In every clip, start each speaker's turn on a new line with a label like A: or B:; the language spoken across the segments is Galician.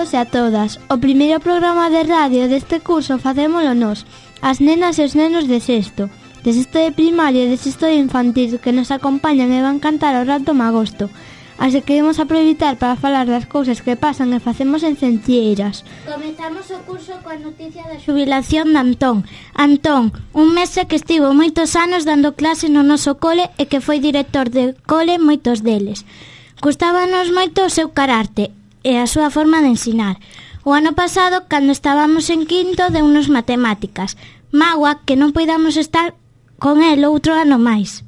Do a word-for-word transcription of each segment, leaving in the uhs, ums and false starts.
A: todos e a todas. O primeiro programa de radio deste curso facémolo nós, as nenas e os nenos de sexto, de sexto de primaria e de sexto de infantil, que nos acompañan e van cantar o rato magosto. Así que imos aproveitar para falar das cousas que pasan e facemos en Centlleiras.
B: Comezamos o curso coa noticia da xubilación de Antón. Antón, un mestre que estivo moitos anos dando clase no noso cole e que foi director de cole moitos deles. Gustábanos moito o seu carácter e a súa forma de ensinar. O ano pasado, cando estábamos en quinto, deunos matemáticas. Magua que non poidamos estar con el outro ano máis.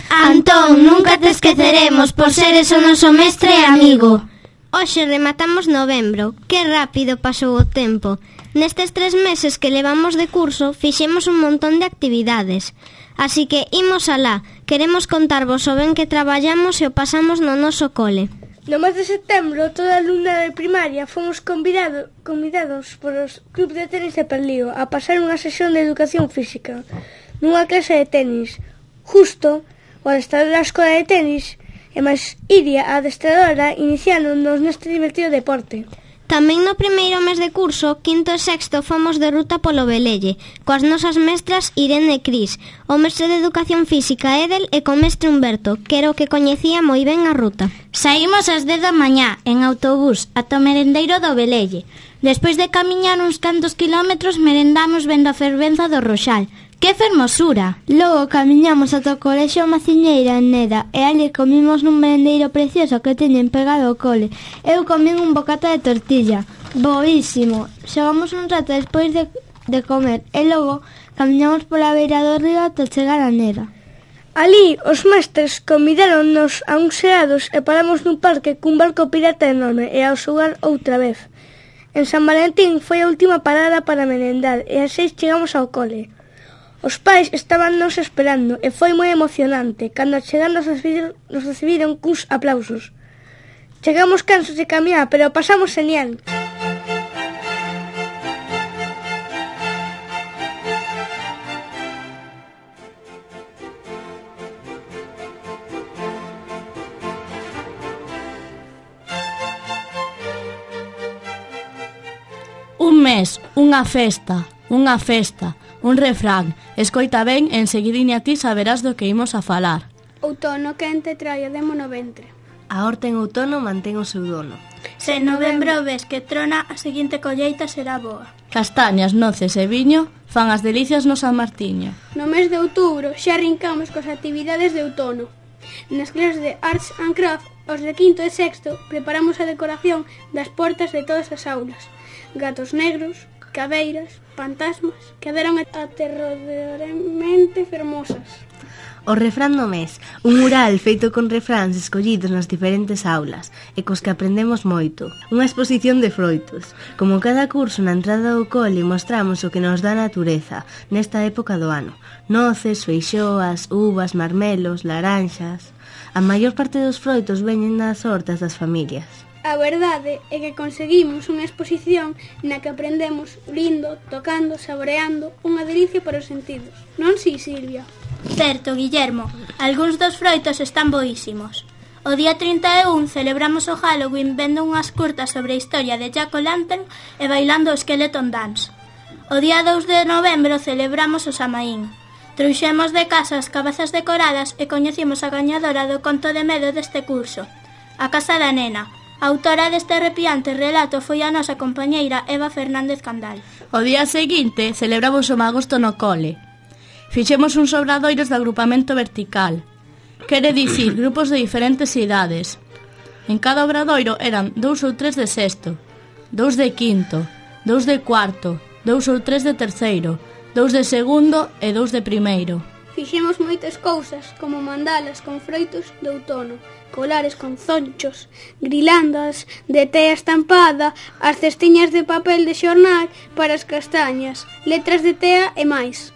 C: Antón, nunca te esqueceremos por seres o noso mestre e amigo.
D: Hoxe rematamos novembro. Que rápido pasou o tempo. Nestes tres meses que levamos de curso fixemos un montón de actividades. Así que imos alá. Queremos contarvos o ben que traballamos e o pasamos no noso cole.
E: No mes de setembro, toda a alumna de primaria fomos convidado, convidados por os clubs de tenis de Perlío a pasar unha sesión de educación física nunha clase de tenis. Justo o adestrador da escola de tenis e máis Iria, a adestradora, iniciaron-nos neste divertido deporte.
D: Tamén no primeiro mes de curso, quinto e sexto, fomos de ruta polo Velelle, coas nosas mestras Irene e Cris, o mestre de educación física Edel e co mestre Humberto, que era o que coñecía moi ben a ruta.
B: Saímos ás dez da mañá, en autobús, ata o merendeiro do Velelle. Despois de camiñar uns cantos kilómetros, merendamos vendo a fervenza do Roxal. ¡Que fermosura!
A: Logo camiñamos ata o colexio Maciñeira en Neda e ali comimos nun merendeiro precioso que teñen pegado ao cole. Eu comín un bocata de tortilla. Boísimo! Xogamos un rato despois de, de comer e logo camiñamos pola beira do río ata chegar a Neda.
E: Ali os mestres convidaronnos a uns xerados e paramos nun parque cun barco pirata enorme e ao xogar outra vez. En San Valentín foi a última parada para merendar e ás seis chegamos ao cole. Os pais estaban nos esperando e foi moi emocionante. Cando chegan nos recibiron, nos recibiron cuns aplausos. Chegamos cansos de camiñar, pero pasamos genial.
F: Un mes, unha festa, unha festa, un refrán. Escoita ben, enseguidiña ti saberás do que imos a falar.
G: Outono quente trae o demo no ventre.
H: A horta en outono mantén o seu dono.
G: Se en novembro ves que trona, a seguinte colleita será boa.
F: Castañas, noces e viño fan as delicias no San Martiño.
G: No mes de outubro xa arrincamos coas actividades de outono. Nas clases de Arts and Craft, os de quinto e sexto, preparamos a decoración das portas de todas as aulas. Gatos negros, cabeiras, fantasmas, quedaron aterradoramente fermosas.
H: O refrán do mes, un mural feito con refráns escollidos nas diferentes aulas e cos que aprendemos moito. Unha exposición de froitos. Como cada curso na entrada do cole mostramos o que nos dá a natureza nesta época do ano. Noces, feixoas, uvas, marmelos, laranxas. A maior parte dos froitos veñen das hortas das familias.
G: A verdade é que conseguimos unha exposición na que aprendemos lindo, tocando, saboreando, unha delicia para os sentidos. Non si, Silvia?
I: Certo, Guillermo, algúns dos froitos están boísimos. O día trinta e un celebramos o Halloween vendo unhas curtas sobre a historia de Jack-o'-lantern e bailando o Skeleton Dance. O día dous de novembro celebramos o Samaín. Trouxemos de casa as cabezas decoradas e coñecimos a gañadora do conto de medo deste curso, a Casa da Nena. A autora deste arrepiante relato foi a nosa compañeira Eva Fernández Candal.
F: O día seguinte celebramos o magosto no cole. Fixemos uns obradoiros de agrupamento vertical. Quere dicir, grupos de diferentes idades. En cada obradoiro eran dous ou tres de sexto, dous de quinto, dous de cuarto, dous ou tres de terceiro, dous de segundo e dous de primeiro.
G: Fixemos moitas cousas, como mandalas con froitos de outono, colares con zonchos, grilandas de tea estampada, as cestiñas de papel de xornal para as castañas, letras de tea e máis.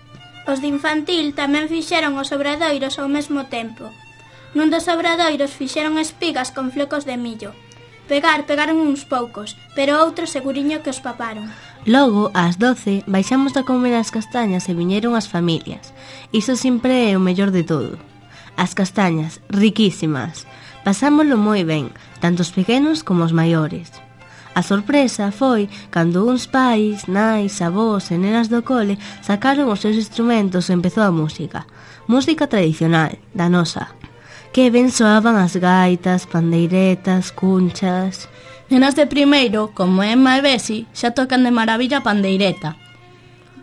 I: Os de infantil tamén fixeron os obradoiros ao mesmo tempo. Nun dos obradoiros fixeron espigas con flecos de millo. Pegar, pegaron uns poucos, pero outros seguriño que os paparon.
H: Logo, ás doce, baixamos a comer as castañas e viñeron as familias. Iso sempre é o mellor de todo. As castañas, riquísimas. Pasámoslo moi ben, tanto os pequenos como os maiores. A sorpresa foi cando uns pais, nais, avós e nenas do cole sacaron os seus instrumentos e empezou a música. Música tradicional, da nosa. Que ben soaban as gaitas, pandeiretas, cunchas...
F: Nenas de primeiro, como Emma e Besi, xa tocan de maravilla a pandeireta.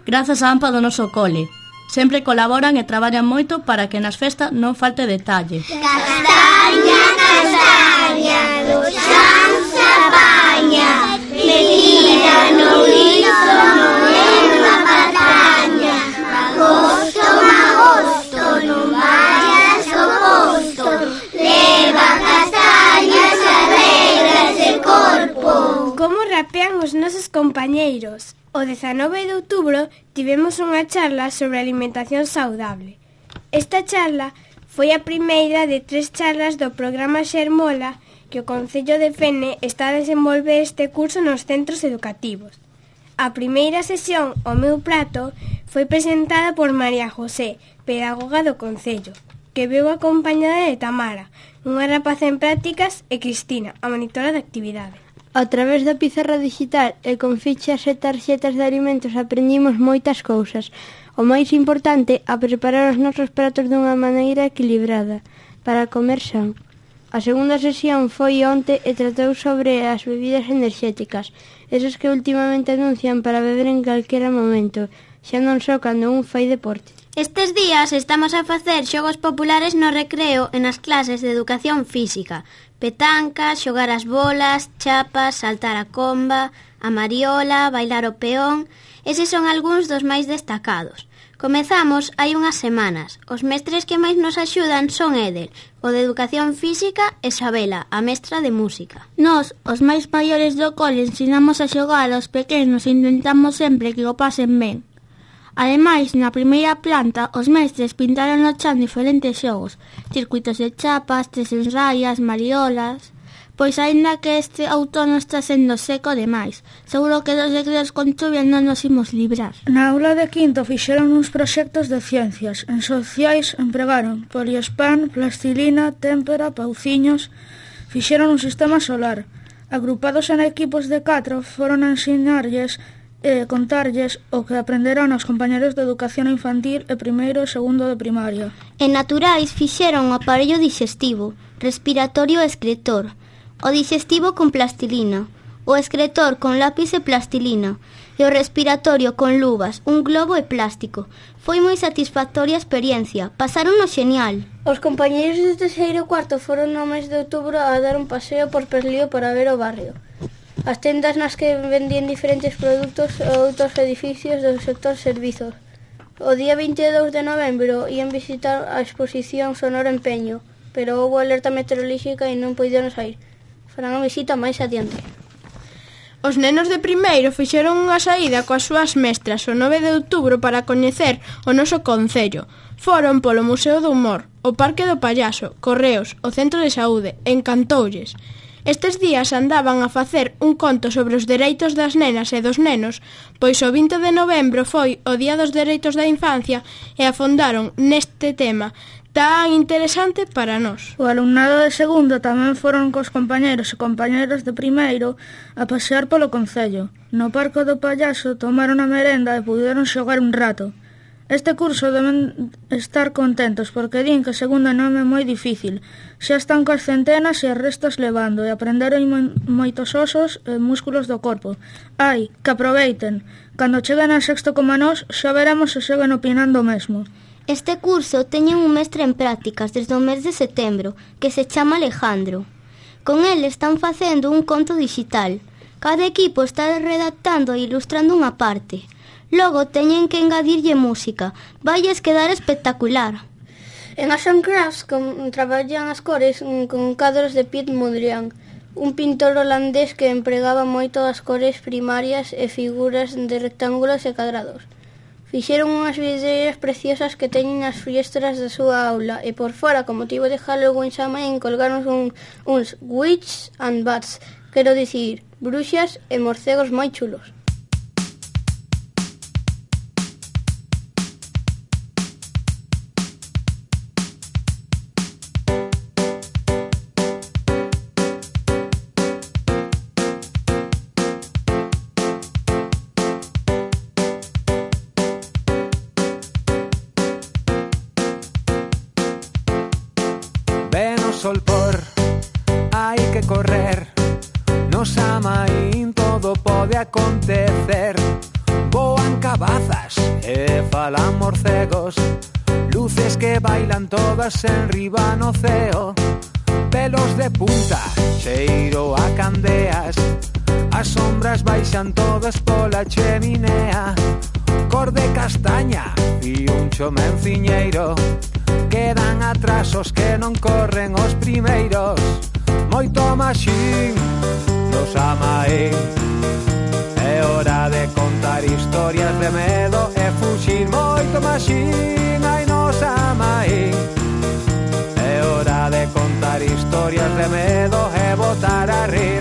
F: Grazas á AMPA do noso cole. Sempre colaboran e traballan moito para que nas festas non falte detalle.
C: Castaña, castaña, do xan se apaña, metida no lizo non é unha pataña. Magosto, magosto, non vayas ao posto, leva castañas arreglas de corpo.
J: Como rapean os nosos compañeiros? O dezanove de outubro tivemos unha charla sobre alimentación saudable. Esta charla foi a primeira de tres charlas do programa Xermola que o Concello de Fene está a desenvolver este curso nos centros educativos. A primeira sesión, O meu prato, foi presentada por María José, pedagoga do Concello, que veu acompañada de Tamara, unha rapaza en prácticas, e Cristina, a monitora de actividade.
E: A través da pizarra digital e con fichas e tarxetas de alimentos aprendimos moitas cousas. O máis importante, a preparar os nosos pratos dunha maneira equilibrada, para comer san. A segunda sesión foi onte e tratou sobre as bebidas enerxéticas, esas que ultimamente anuncian para beber en calquera momento, xa non só cando un fai deporte.
D: Estes días estamos a facer xogos populares no recreo e nas clases de educación física. Petanca, xogar as bolas, chapas, saltar a comba, a mariola, bailar o peón... Eses son algúns dos máis destacados. Comezamos hai unhas semanas. Os mestres que máis nos axudan son Edel, o de educación física, e Sabela, a mestra de música.
B: Nós, os máis maiores do cole, ensinamos a xogar aos pequenos e intentamos sempre que o pasen ben. Ademais, na primeira planta, os mestres pintaron no chan diferentes xogos, circuitos de chapas, tres en raias, mariolas... Pois aínda que este outono está sendo seco demais, seguro que dos recreos con chuvia non nos imos librar.
K: Na aula de quinto fixeron uns proxectos de ciencias. En sociais empregaron poliespan, plastilina, témpera, pauciños. Fixeron un sistema solar. Agrupados en equipos de catro, foron a ensinarlles e contarlles o que aprenderon os compañeros de educación infantil e primeiro e segundo de primaria.
D: En naturais fixeron o aparello digestivo, respiratorio e excretor, o digestivo con plastilina, o excretor con lápiz e plastilina, e o respiratorio con luvas, un globo e plástico. Foi moi satisfactoria a experiencia, pasaron no xenial.
E: Os compañeiros de terceiro e cuarto foron no mes de outubro a dar un paseo por Perlío para ver o barrio. As tendas nas que vendían diferentes produtos e outros edificios do sector servizos. O día vinte e dous de novembro ian visitar a exposición Sonoro Empeño, pero houve alerta meteorolóxica e non puideron sair. Farán a visita máis adiante.
J: Os nenos de primeiro fixeron unha saída coas súas mestras o nove de outubro para coñecer o noso concello. Foron polo Museo do Humor, o Parque do Pallaso, Correos, o Centro de Saúde, encantoulles. Estes días andaban a facer un conto sobre os dereitos das nenas e dos nenos, pois o vinte de novembro foi o Día dos Dereitos da Infancia e afondaron neste tema tan interesante para nós.
K: O alumnado de segundo tamén foron cos compañeros e compañeras de primeiro a pasear polo concello. No Parque do Pallaso tomaron a merenda e puderon xogar un rato. Este curso deben estar contentos porque din que segundo non é moi difícil. Xa están coas centenas e as restas levando e aprenderon mo- moitos osos e músculos do corpo. Ai, que aproveiten. Cando cheguen a sexto como nós, xa veremos se seguen opinando o mesmo.
D: Este curso teñen un mestre en prácticas desde o mes de setembro, que se chama Alejandro. Con el están facendo un conto digital. Cada equipo está redactando e ilustrando unha parte. Logo teñen que engadirlle música. Vailles quedar espectacular.
E: En Arts and Crafts con, traballan as cores con cadros de Piet Mondrian, un pintor holandés que empregaba moito as cores primarias e figuras de rectángulos e cadrados. Fixeron unhas vidreiras preciosas que teñen as fiestras da súa aula e por fora, con motivo de Halloween Samhain, colgaron un, uns witches and bats, quero dicir, bruxas e morcegos moi chulos.
L: sol por, hai que correr. Nos Amaín todo pode acontecer. Voan cabazas e falan morcegos, luces que bailan todas en riba no ceo. Pelos de punta, cheiro a candeas, as sombras baixan todas pola cheminea. Cor de castaña e un chomenciñeiro, quedan atrás os que non corren os primeiros. Moito maxín nos Amaín, é hora de contar historias de medo e fuxir. Moito maxín hai nos Amaín, é hora de contar historias de medo e botar a rir.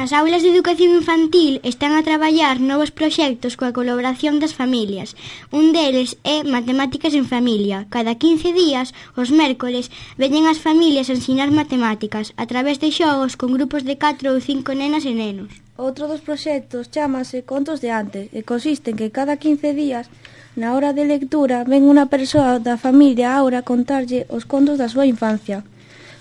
A: Nas aulas de educación infantil están a traballar novos proxectos coa colaboración das familias. Un deles é Matemáticas en Familia. Cada quince días, os mércoles, veñen as familias a ensinar matemáticas a través de xogos con grupos de catro ou cinco nenas e nenos.
K: Outro dos proxectos chámase Contos de Antes e consiste en que cada quince días, na hora de lectura, ven unha persoa da familia Aura a contarlle os contos da súa infancia.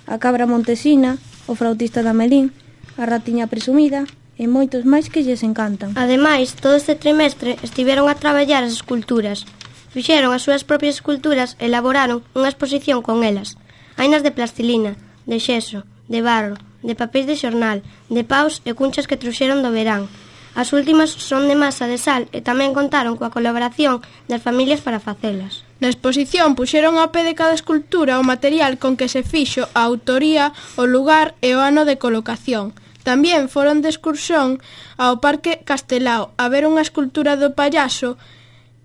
K: A cabra Montesina, o flautista da Melín, a ratiña presumida e moitos máis que lles encantan.
D: Ademais, todo este trimestre estiveron a traballar as esculturas. Fixeron as súas propias esculturas e elaboraron unha exposición con elas. Hainas de plastilina, de xeso, de barro, de papéis de xornal, de paus e cunchas que trouxeron do verán. As últimas son de masa de sal e tamén contaron coa colaboración das familias para facelas.
J: Na exposición puxeron ao pé de cada escultura o material con que se fixo a autoría, o lugar e o ano de colocación. Tamén foron de excursión ao Parque Castelao a ver unha escultura do payaso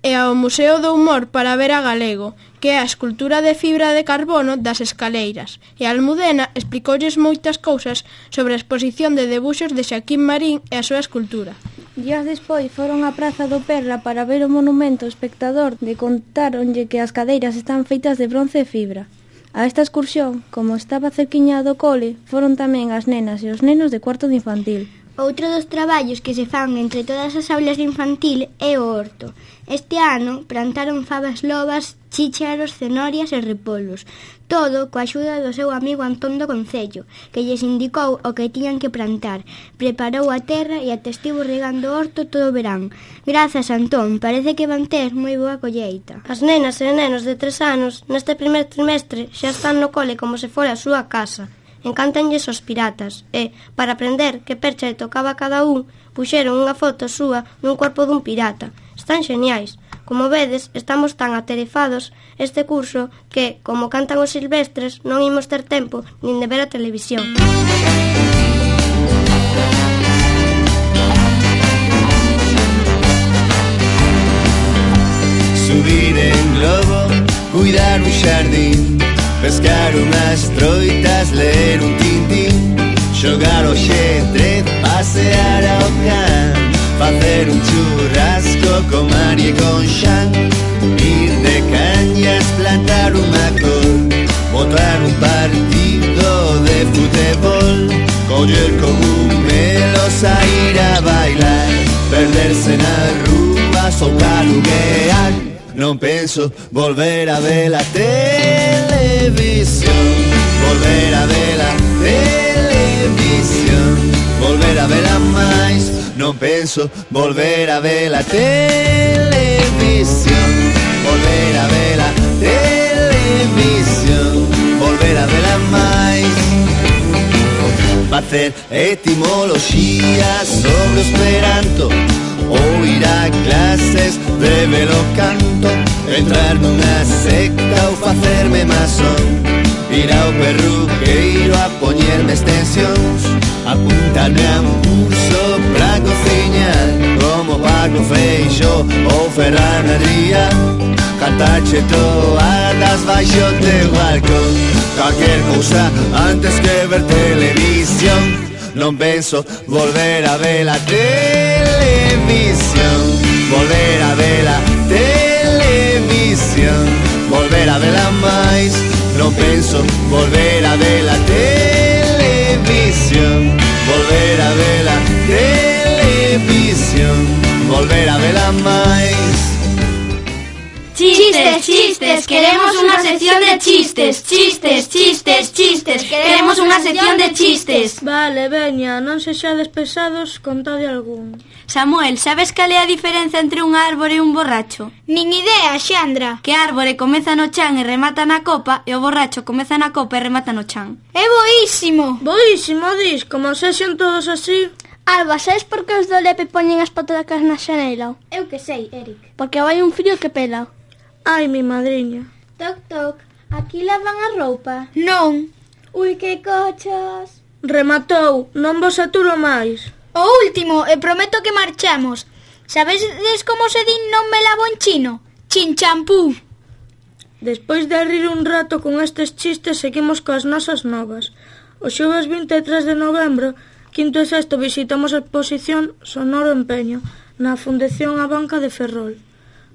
J: e ao Museo do Humor para ver a Galego, que é a escultura de fibra de carbono das escaleiras. E a Almudena explicoulles moitas cousas sobre a exposición de debuxos de Xaquín Marín e a súa escultura.
K: Días despois foron á Praza do Perla para ver o monumento espectador de contaronlle que as cadeiras están feitas de bronce e fibra. A esta excursión, como estaba cerquiña do cole, foron tamén as nenas e os nenos de cuarto de infantil.
A: Outro dos traballos que se fan entre todas as aulas de infantil é o horto. Este ano plantaron fabas lobas, chícharos, cenorias e repolos. Todo coa axuda do seu amigo Antón do Concello, que lles indicou o que tiñan que plantar. Preparou a terra e até estivo regando o horto todo o verán. Grazas, Antón, parece que van ter moi boa colleita.
D: As nenas e nenos de tres anos neste primer trimestre xa están no cole como se fora a súa casa. Encántanlles os piratas e, para aprender que percha lle tocaba a cada un, puxeron unha foto súa nun corpo dun pirata. Están xeniais. Como vedes, estamos tan atarefados este curso que, como cantan os silvestres, non imos ter tempo nin de ver a televisión.
M: Subir en globo, cuidar un xardín, pescar unhas troitas, ler un tintín, xogar o xetre, pasear ao can, facer un churrasco con María e con Xan, ir de cañas, plantar unha cor, botar un partido de futebol, coller cogumelos, a ir a bailar, perderse na rúa, soltar o guear. Non penso volver a ver a televisión, volver a ver a televisión, volver a ver a máis. Non penso volver a ver a televisión, volver a ver a televisión, volver a ver a máis. Facer etimoloxías sobre o esperanto, ou ir a clases de velo canto, entrar nunha secta ou facerme masón, ir ao perruqueiro a poñerme extensións, apuntarme a un curso pra cociñar, como Paco Feixo ou Ferran Adrià, cantarche toadas baixo teu balcón, calquer cousa antes que ver televisión. non penso volver a ver a televisión, volver a ver a televisión, volver a verla máis, non penso volver a ver a televisión, volver a ver a televisión, volver a verla máis.
C: Chistes, chistes, queremos unha sección de chistes, chistes, chistes, chistes, queremos unha sección de chistes.
K: Vale, veña, non sexades pesados, contade algún.
C: Samuel, sabes cal é a diferencia entre un árbore e un borracho?
I: Nin idea, Xandra.
C: Que árbore comeza no chan e remata na copa e o borracho comeza na copa e remata no chan.
I: É boísimo.
K: Boísimo, dis, como sexen todos así.
G: Alba, sabes por que os do Lepe poñen as patacas na xanela?
I: Eu que sei, Eric.
G: Porque vai un frío que pela.
K: Ai, mi madriña.
I: Toc, toc, aquí lavan a roupa?
G: Non.
I: Ui, que cochos.
K: Rematou, non vos aturo máis.
I: O último, e prometo que marchamos. Sabedes como se din non me lavo en chino? Chinchampú.
K: Despois de rir un rato con estes chistes, seguimos coas nosas novas. O xoves vinte e tres de novembro, quinto e sexto, visitamos a exposición Sonoro Empeño, na Fundación A Banca de Ferrol.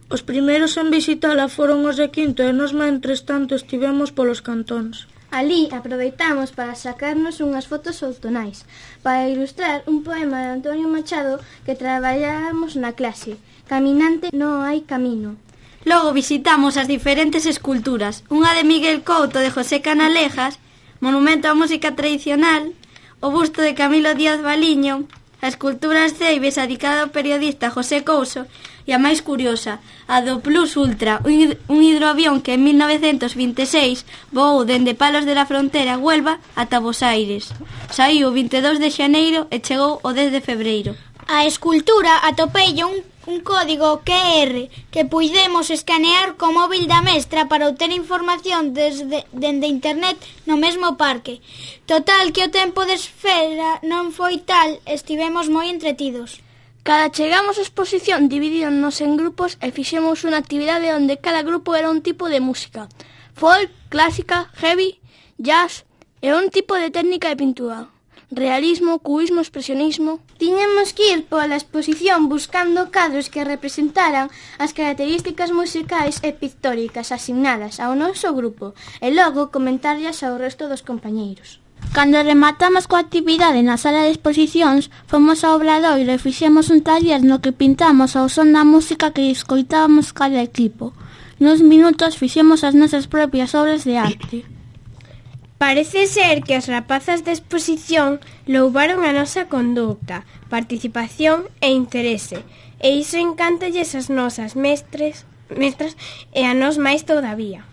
K: Os primeiros en visitala foron os de quinto e nos mentres tanto estivemos polos cantóns.
A: Alí aproveitamos para sacarnos unhas fotos outonais para ilustrar un poema de Antonio Machado que traballamos na clase, Caminante non hai camino.
C: Logo visitamos as diferentes esculturas, unha de Miguel Couto de José Canalejas, Monumento á Música Tradicional, o busto de Camilo Díaz Baliño, a escultura As Ceibes dedicada ao periodista José Couso e a máis curiosa, a do Plus Ultra, un hidroavión que en mil novecentos vinte e seis voou dende Palos de la Frontera, Huelva, ata Bos Aires. Saiu o vinte e dous de xaneiro e chegou o dez de febreiro.
I: A escultura atopeille un, un código Q R que puidemos escanear co móvil da mestra para obter información desde dende internet no mesmo parque. Total, que o tempo de espera non foi tal, estivemos moi entretidos.
G: Cada chegamos á exposición dividíronnos en grupos e fixemos unha actividade onde cada grupo era un tipo de música. Folk, clásica, heavy, jazz e un tipo de técnica de pintura. Realismo, cubismo, expresionismo.
A: Tiñamos que ir pola exposición buscando cadros que representaran as características musicais e pictóricas asignadas ao noso grupo e logo comentarlas ao resto dos compañeiros.
B: Cando rematamos coa actividade na sala de exposicións, fomos ao Obradoiro e fixemos un taller no que pintamos ao son da música que escoitábamos cada equipo. Nuns minutos fixemos as nosas propias obras de arte.
J: Parece ser que as rapazas de exposición louvaron a nosa conducta, participación e interese, e iso encántalles as nosas mestres, mestras e a nos máis todavía.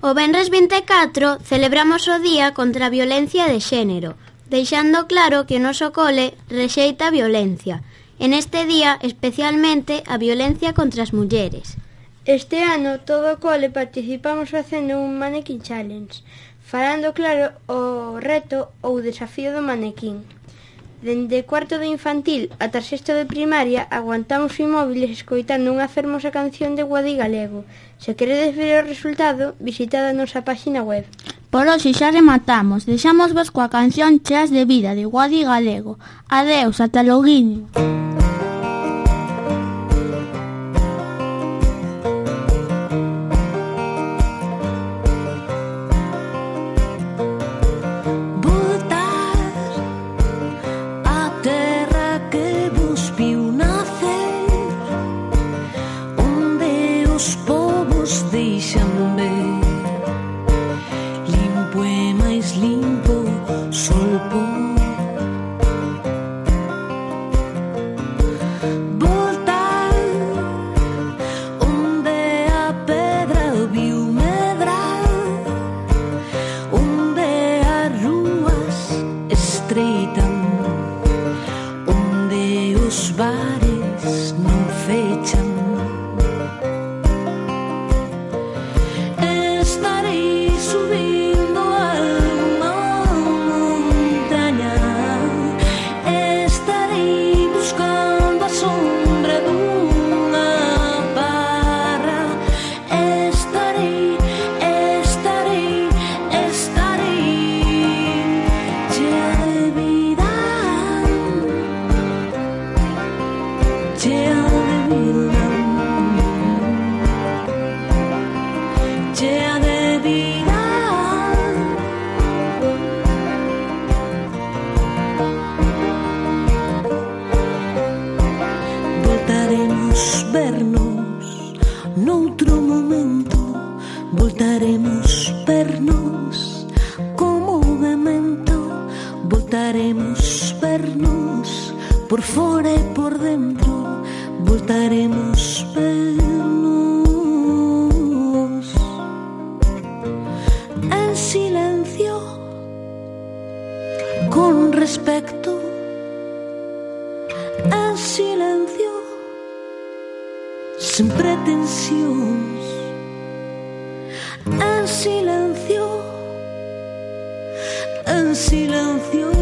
D: O venres vinte e catro celebramos o Día contra a Violencia de Xénero, deixando claro que o noso cole rexeita a violencia. En este día, especialmente, a violencia contra as mulleres.
A: Este ano, todo o cole participamos facendo un Mannequin Challenge, falando claro o reto ou desafío do manequín. Dende cuarto de infantil ata sexto de primaria aguantamos inmóviles escoitando unha fermosa canción de Guadi Galego. Se queredes ver o resultado, visitad a nosa páxina web.
B: Por hoxe xa rematamos. Deixamos vos coa canción Cheas de Vida de Guadi Galego. Adeus, ata loguiño.
N: noutro momento voltaremos vernos como memento, voltaremos vernos por fora e por dentro, voltaremos vernos en silencio, con respecto, en silencio, sen pretensións, en silencio, en silencio.